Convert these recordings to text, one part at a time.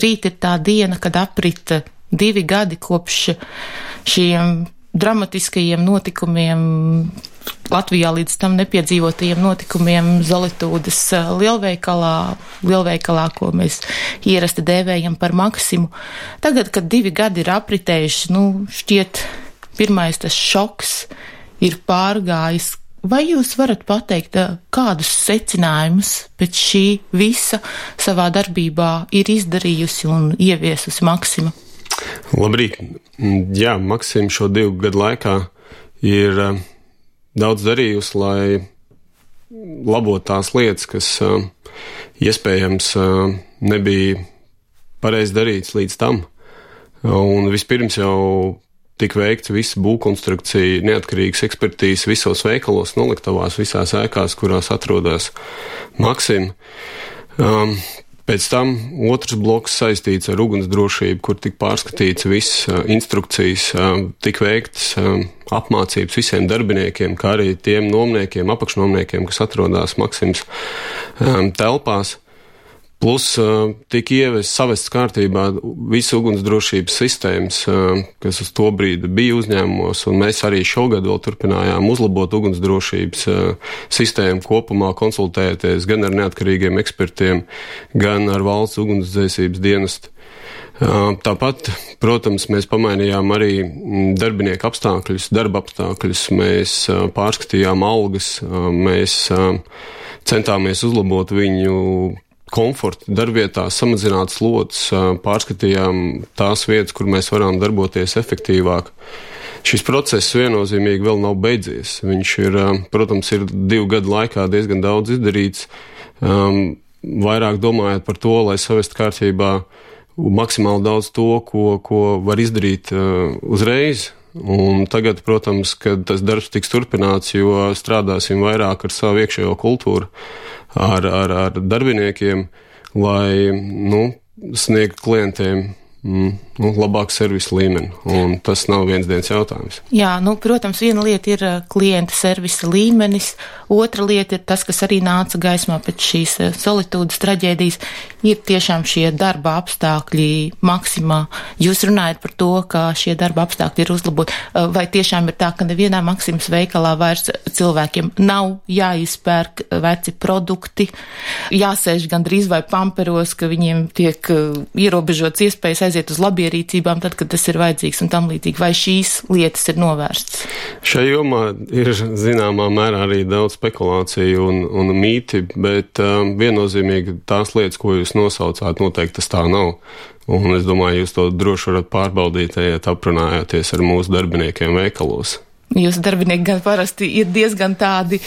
rīt ir tā diena, kad aprita 2 gadi kopš šiem dramatiskajiem notikumiem, Latvijā līdz tam nepiedzīvotajiem notikumiem Zolitūdes lielveikalā, ko mēs ierasti dēvējam par Maksimu. Tagad, kad 2 gadi ir apritējuši, šķiet, pirmais tas šoks ir pārgājis. Vai jūs varat pateikt, kādus secinājumus pēc šī visa savā darbībā ir izdarījusi un ieviesusi Maksima? Labrīt. Jā, Maksima šo 2 gadu laikā ir daudz darījusi, lai labotu tās lietas, kas iespējams nebija pareizi darīts līdz tam. Un vispirms jau tika veikts visa būvkonstrukcija, neatkarīgas ekspertīzes visos veikalos, noliktavās, visās ēkās, kurās atrodas Maksima. Pēc tam otrs bloks saistīts ar ugunsdrošību, kur tika pārskatīts viss instrukcijas, tika veikts apmācības visiem darbiniekiem, kā arī tiem nomniekiem, apakšnomniekiem, kas atrodas Maksimas telpās. Plus tika savests kārtībā visu ugunsdrošības sistēmas, kas uz to brīdi bija uzņēmumos, un mēs arī šogad vēl turpinājām uzlabot ugunsdrošības sistēmu kopumā, konsultējoties gan ar neatkarīgiem ekspertiem, gan ar valsts ugunsdzēsības dienestu. Tāpat, protams, mēs pamainījām arī darbinieku apstākļus, darba apstākļus, mēs pārskatījām algas, mēs centāmies uzlabot viņu komfortu darbvietā, samazināt slodzes, pārskatījām tās vietas, kur mēs varam darboties efektīvāk. Šis process viennozīmīgi vēl nav beidzies. Viņš ir, protams, ir 2 gadu laikā diezgan daudz izdarīts, vairāk domājot par to, lai savest kārtībā maksimāli daudz to, ko var izdarīt uzreiz. Un tagad, protams, kad tas darbs tiks turpināts, jo strādāsim vairāk ar savu iekšējo kultūru, ar darbiniekiem, lai sniegtu klientiem labāku servisu līmeni. Un tas nav viens dienas jautājums. Jā, protams, viena lieta ir klienta servisa līmenis, otra lieta ir tas, kas arī nāca gaismā pēc šīs Zolitūdes traģēdijas, ir tiešām šie darba apstākļi Maksimā. Jūs runājat par to, ka šie darba apstākļi ir uzlaboti. Vai tiešām ir tā, ka nevienā Maksimas veikalā vairs cilvēkiem nav jāizpērk veci produkti, jāsēž gandrīz vai pamperos, ka viņiem tiek ierobežots iespējas aiziet uz labierīcībām tad, kad tas ir vajadzīgs un tam līdzīgi. Vai šīs lietas ir novērstas? Šajā jomā ir zināmā mērā arī daudz spekulāciju un mīti, bet viennozīmīgi tās lietas, ko jūs nosaucāt, noteikti tas tā nav. Un es domāju, jūs to droši varat pārbaudīt, ja aprunājoties ar mūsu darbiniekiem veikalos. Jūsu darbinieki gan parasti ir diezgan tādi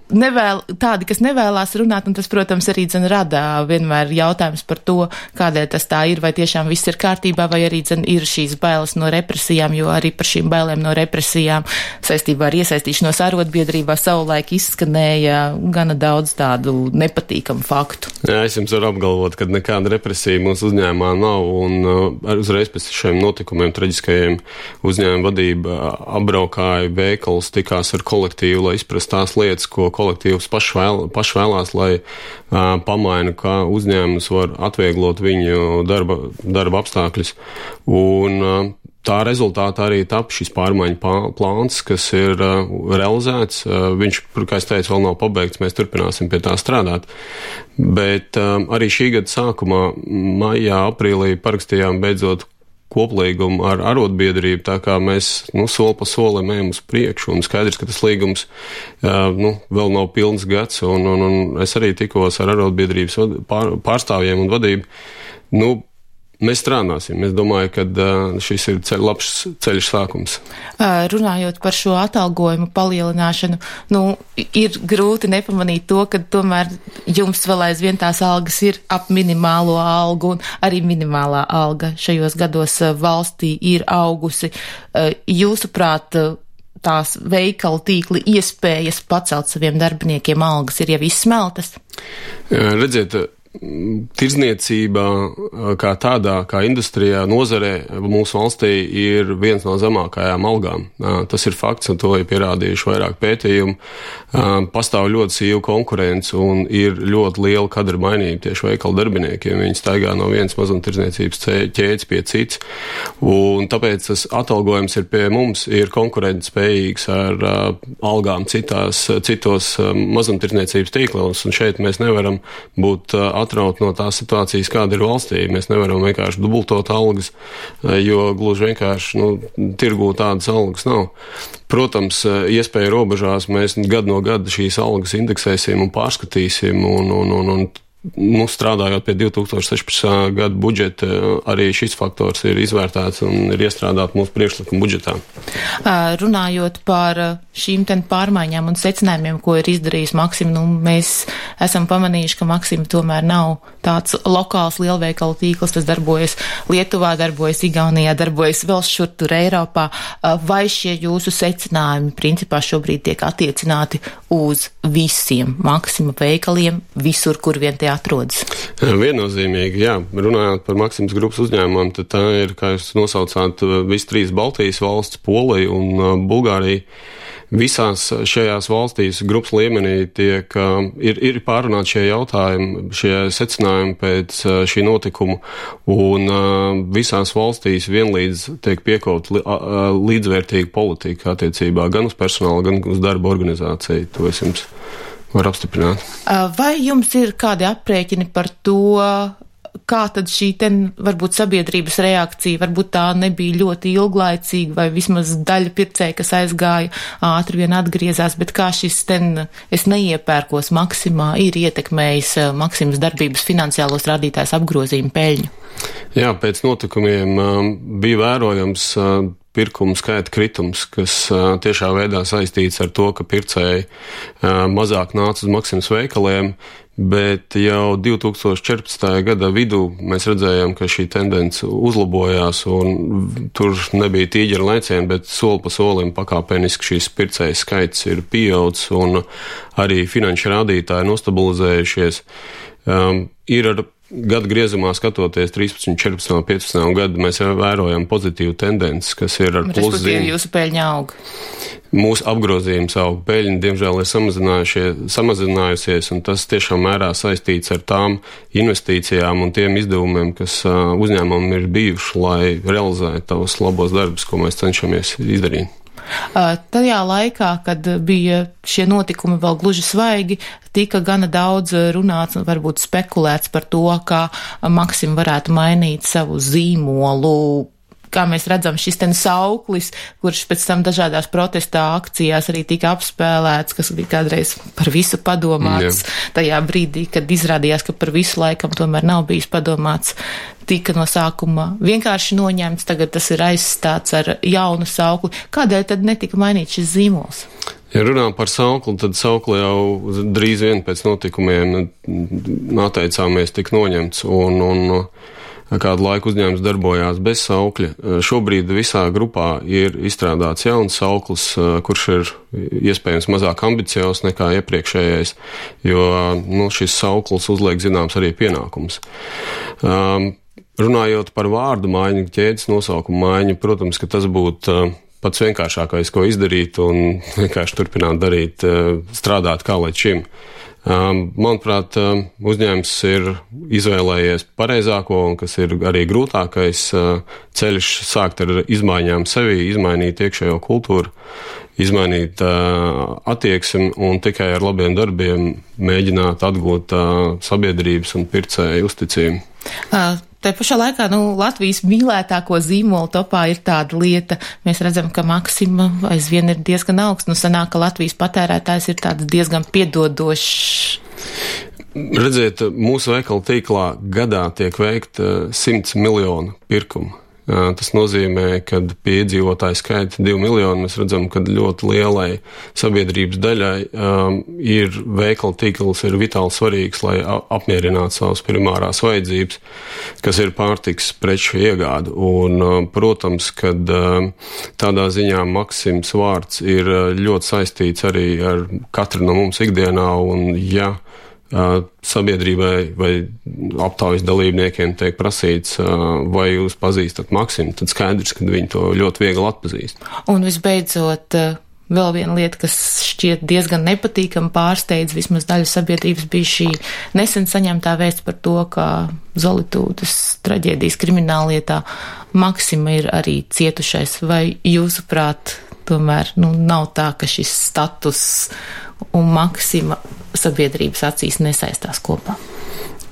tādi, kas nevēlās runāt, un tas, protams, arī rada vienmēr jautājums par to, kādēļ tas tā ir, vai tiešām viss ir kārtībā, vai arī ir šīs bailes no represijām, jo arī par šīm bailēm no represijām saistībā ar iesaistīšanos arotbiedrībā savulaik izskanēja gana daudz tādu nepatīkamu faktu. Jā, es jums varu apgalvot, ka nekāda represija mūsu uzņēmumā nav, un uzreiz pēc šiem notikumiem traģiskajiem uzņēmuma vadība apbraukāja veikalus, tikās ar kolektīvu, lai izprast tās lietas, ko kolektīvs paši vēlās, lai pamaina, kā uzņēmums var atvieglot viņu darba apstākļus. Un tā rezultātā arī tap šis pārmaiņu plāns, kas ir realizēts. Viņš, kā es teicu, vēl nav pabeigts, mēs turpināsim pie tā strādāt. Bet arī šī gada sākumā, maijā, aprīlī parakstījām beidzot koplīgumu ar arotbiedrību, tā kā mēs soli pa solim ejam uz priekšu, un skaidrs, ka tas līgums vēl nav pilns gads, un es arī tikos ar arotbiedrības pārstāvjiem un vadību. Mēs strādāsim. Es domāju, ka šis ir labs ceļš sākums. Runājot par šo atalgojumu palielināšanu, ir grūti nepamanīt to, ka tomēr jums vēl aizvien tās algas ir ap minimālo algu, un arī minimālā alga šajos gados valstī ir augusi. Jūsuprāt, tās veikalu tīkli iespējas pacelt saviem darbiniekiem algas ir jau izsmeltas? Redziet, tirdzniecība kā tādā, kā industrijā, nozarē mūsu valstī ir viens no zemākajām algām. Tas ir fakts, un to ir pierādījuši vairāk pētījumu. Pastāv ļoti sīva konkurence un ir ļoti liela kadra mainība tieši veikalu darbiniekiem. Viņi staigā no vienas mazumtirdzniecības ķēdes pie cits, un tāpēc tas atalgojums ir pie mums, ir konkurentspējīgs ar algām citos mazumtirdzniecības tīklos, un šeit mēs nevaram būt atraut no tās situācijas, kāda ir valstī. Mēs nevaram vienkārši dubultot algas, jo gluži vienkārši tirgū tādas algas nav. Protams, iespēja robežās mēs gadu no gada šīs algas indeksēsim un pārskatīsim un strādājot pie 2016. Gada budžeta, arī šis faktors ir izvērtēts un ir iestrādāts mūsu priekšlikuma budžetā. Runājot par šīm pārmaiņām un secinājumiem, ko ir izdarījis Maksim, mēs esam pamanījuši, ka Maksim tomēr nav tāds lokāls lielveikalu tīkls, tas darbojas Lietuvā, darbojas Igaunijā, darbojas vēl šur tur Eiropā. Vai šie jūsu secinājumi principā šobrīd tiek attiecināti uz visiem Maksima veikaliem, visur, kur vien tie atrodas? Viennozīmīgi, jā. Runājot par Maksimas grupas uzņēmumiem, tad tā ir, kā jūs nosaucāt, visi 3 Baltijas valsts, Polija un Bulgārija. Visās šajās valstīs grupas līmenī ir pārunāti šie jautājumi, šie secinājumi pēc šī notikuma, un visās valstīs vienlīdz tiek piekot līdzvērtīga politika attiecībā gan uz personālu, gan uz darba organizāciju. To es jums varu apstiprināt. Vai jums ir kādi aprēķini par to, kā tad šī varbūt sabiedrības reakcija, varbūt tā nebija ļoti ilglaicīga, vai vismaz daļa pircēja, kas aizgāja, ātri vien atgriezās, bet kā šis es neiepērkos Maksimā ir ietekmējis Maksimas darbības finansiālos rādītājus, apgrozījumu, peļņu? Jā, pēc notikumiem bija vērojams pirkumu skaita kritums, kas tiešā veidā saistīts ar to, ka pircēji mazāk nāca uz Maksimas veikaliem, bet jau 2014. Gada vidū mēs redzējām, ka šī tendence uzlabojās un tur nebija tīģera lēcieni, bet soli pa solim pakāpeniski šīs pircēju skaits ir pieaudzis un arī finanšu rādītāji nostabilizējušies. Ir ar gadu griezumā skatoties 13, 14, 15 gadu, mēs jau vērojam pozitīvu tendenci, kas ir ar pluszīm. Respektīvi, jūsu peļņa aug? Mūsu apgrozījums aug, peļņa, diemžēl, ir samazinājusies, un tas tiešām mērā saistīts ar tām investīcijām un tiem izdevumiem, kas uzņēmumam ir bijuši, lai realizētu tavus labos darbus, ko mēs cenšamies izdarīt. Tajā laikā, kad bija šie notikumi vēl gluži svaigi, tika gana daudz runāts un varbūt spekulēts par to, kā Maksim varētu mainīt savu zīmolu. Kā mēs redzam, šis sauklis, kurš pēc tam dažādās protestā akcijās arī tika apspēlēts, kas bija kādreiz par visu padomāts. Tajā brīdī, kad izrādījās, ka par visu laikam tomēr nav bijis padomāts, tika no sākuma vienkārši noņemts, tagad tas ir aizstāts ar jaunu saukli. Kādēļ tad netika mainīts šis zīmols? Ja runā par saukli, tad saukli jau drīz vien pēc notikumiem atteicāmies tik noņemts un kādu laiku uzņēmums darbojās bez saukļa. Šobrīd visā grupā ir izstrādāts jauns sauklis, kurš ir iespējams mazāk ambiciozs nekā iepriekšējais, jo šis sauklis uzliek zināms arī pienākums. Runājot par vārdu maiņu, ķēdes nosaukumu maiņu, protams, ka tas būtu pats vienkāršākais, ko izdarīt un vienkārši turpināt darīt, strādāt kā līdz šim. Manuprāt, uzņēmums ir izvēlējies pareizāko un kas ir arī grūtākais ceļš sākt ar izmaiņām sevī, izmainīt iekšējo kultūru, izmainīt attieksmi un tikai ar labiem darbiem mēģināt atgūt sabiedrības un pircēju uzticību. Tā pašā laikā, Latvijas mīlētāko zīmolu topā ir tāda lieta. Mēs redzam, ka Maksima aizvien ir diezgan augsts. Sanāk, ka Latvijas patērētājs ir tāds diezgan piedodošs. Redziet, mūsu veikalu tīklā gadā tiek veikta 100 miljonu pirkumu. Tas nozīmē, ka pie iedzīvotāju skaita 2 miljoni mēs redzam, ka ļoti lielai sabiedrības daļai ir veikalu tīkls ir vitāli svarīgs, lai apmierinātu savas primārās vajadzības, kas ir pārtiks preču iegāde. Un, protams, kad tādā ziņā Maksims vārds ir ļoti saistīts arī ar katru no mums ikdienā, un ja sabiedrībai vai aptaujas dalībniekiem tiek prasīts, vai jūs pazīstat Maksimu, tad skaidrs, ka viņi to ļoti viegli atpazīst. Un visbeidzot, vēl viena lieta, kas šķiet diezgan nepatīkama pārsteidz vismaz daļu sabiedrības, bija šī nesen saņemtā vēsts par to, ka Zolitūdas traģēdijas krimināllietā Maksima ir arī cietušais. Vai jūsuprāt, tomēr nav tā, ka šis status un Maksima sabiedrības acīs nesaistās kopā?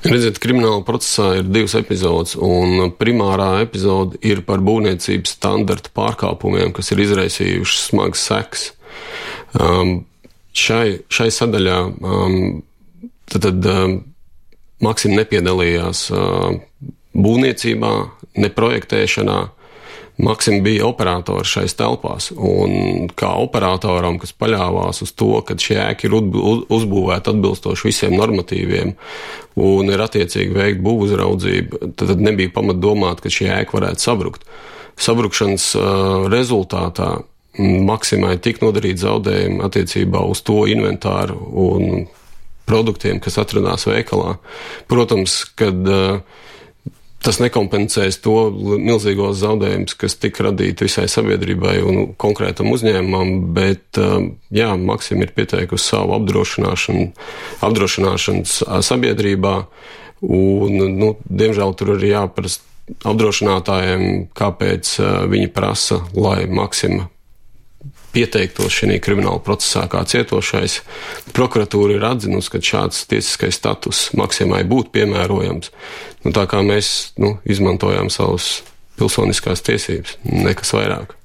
Redziet, krimināla procesā ir 2 epizodes, un primārā epizode ir par būvniecības standarta pārkāpumiem, kas ir izraisījuši smagas sekas. Šai sadaļā tad Maksima nepiedalījās būvniecībā, ne projektēšanā. Maksima bija operators šais telpās, un kā operatoram, kas paļāvās uz to, ka šie ēki ir uzbūvēti atbilstoši visiem normatīviem un ir attiecīgi veikt būvuzraudzību, tad nebija pamat domāt, ka šie ēki varētu sabrukt. Sabrukšanas rezultātā Maksimai tika nodarīt zaudējumi attiecībā uz to inventāru un produktiem, kas atradās veikalā. Protams, kad tas nekompensēs to milzīgos zaudējumus, kas tika radīti visai sabiedrībai un konkrētam uzņēmumam, bet Maksima ir pieteikusi savu apdrošināšanas sabiedrībā, un, diemžēl tur arī jāprast apdrošinātājiem, kāpēc viņi prasa, lai Maksima pieteiktos šajā krimināla procesā kā cietošais. Prokuratūra ir atzinusi, ka šāds tiesiskais status Maksimai būtu piemērojams. Tā kā mēs izmantojām savas pilsoniskās tiesības, nekas vairāk.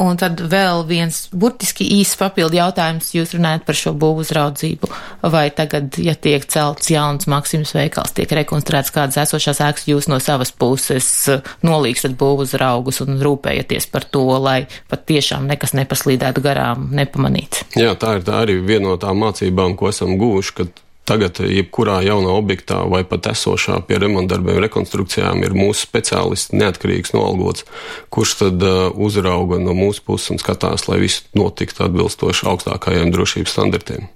Un tad vēl viens burtiski īsts papildu jautājums. Jūs runājat par šo būvuzraudzību. Vai tagad, ja tiek celts jauns Maksimas veikals, tiek rekonstruēts kādas esošās ēkas, jūs no savas puses nolīgstat būvuzraugus un rūpējaties par to, lai pat tiešām nekas nepaslīdētu garām, nepamanīts? Jā, tā ir arī viena no tām mācībām, ko esam guvuši, kad tagad jebkurā jaunā objektā vai pat esošā pie remontdarbiem, rekonstrukcijām ir mūsu speciālists neatkarīgs noalgots, kurš tad uzrauga no mūsu puses un skatās, lai viss notiktu atbilstoši augstākajiem drošības standartiem.